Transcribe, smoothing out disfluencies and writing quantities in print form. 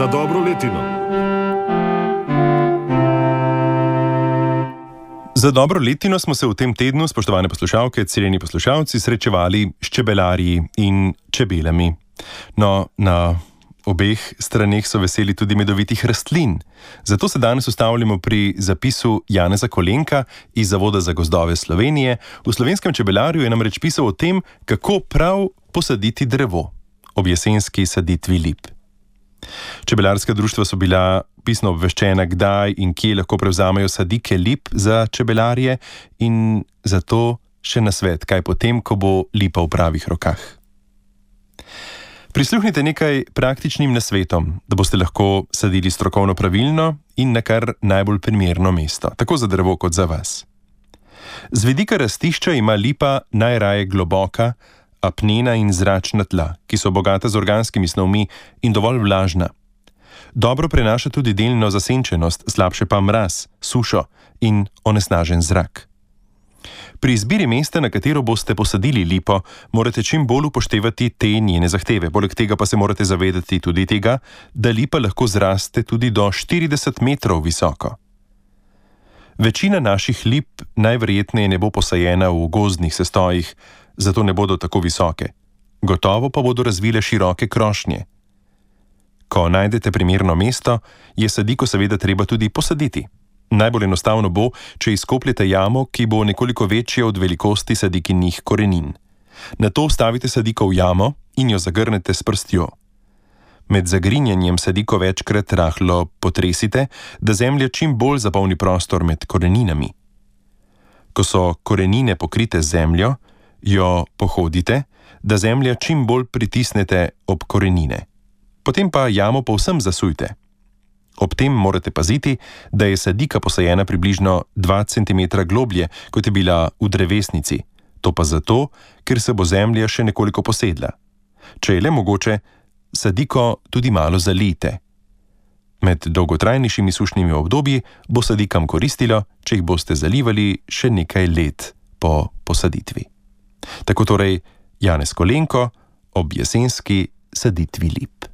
za dobro letino. Za dobro letino smo se v tem tednu, spoštovane poslušalke, cenjeni poslušalci, srečevali s čebelarji in čebelami. No, na obeh straneh so veseli tudi medovitih rastlin. Zato se danes ustavljamo pri zapisu Janeza Kolenka iz Zavoda za gozdove Slovenije. V Slovenskem čebelarju je namreč pisal o tem, kako prav posaditi drevo ob jesenski saditvi lip. Čebelarska društva so bila pisno obveščena, kdaj in kje lahko prevzamejo sadike lip za čebelarje, in zato še nasvet, kaj potem, ko bo lipa v pravih rokah. Prisluhnite nekaj praktičnim nasvetom, da boste lahko sadili strokovno pravilno in na kar najbolj primerno mesto, tako za drevo kot za vas. Z vidika rastišča ima lipa najraje globoka, apnena in zračna tla, ki so bogata z organskimi snovmi in dovolj vlažna. Dobro prenaša tudi delno zasenčenost, slabše pa mraz, sušo in onesnažen zrak. Pri izbiri mesta, na katero boste posadili lipo, morate čim bolj upoštevati te njene zahteve. Poleg tega pa se morate zavedati tudi tega, da lipa lahko zraste tudi do 40 metrov visoko. Večina naših lip najverjetneje ne bo posajena v gozdnih sestojih, zato ne bodo tako visoke. Gotovo pa bodo razvile široke krošnje. Ko najdete primerno mesto, je sadiko seveda treba tudi posaditi. Najbolj enostavno bo, če izkopljete jamo, ki bo nekoliko večja od velikosti sadikinih korenin. Nato vstavite sadiko v jamo in jo zagrnete s prstjo. Med zagrinjanjem sadiko večkrat rahlo potresite, da zemlja čim bolj zapolni prostor med koreninami. Ko so korenine pokrite z zemljo, jo pohodite, da zemlja čim bolj pritisnete ob korenine. Potem pa jamo povsem zasujte. Ob tem morate paziti, da je sadika posajena približno 2 cm globlje, kot je bila v drevesnici. To pa zato, ker se bo zemlja še nekoliko posedla. Če je le mogoče, sadiko tudi malo zalijte. Med dolgotrajnejšimi sušnimi obdobji bo sadikam koristilo, če jih boste zalivali še nekaj let po posaditvi. Tako torej Janez Kolenko ob jesenski saditvi lip.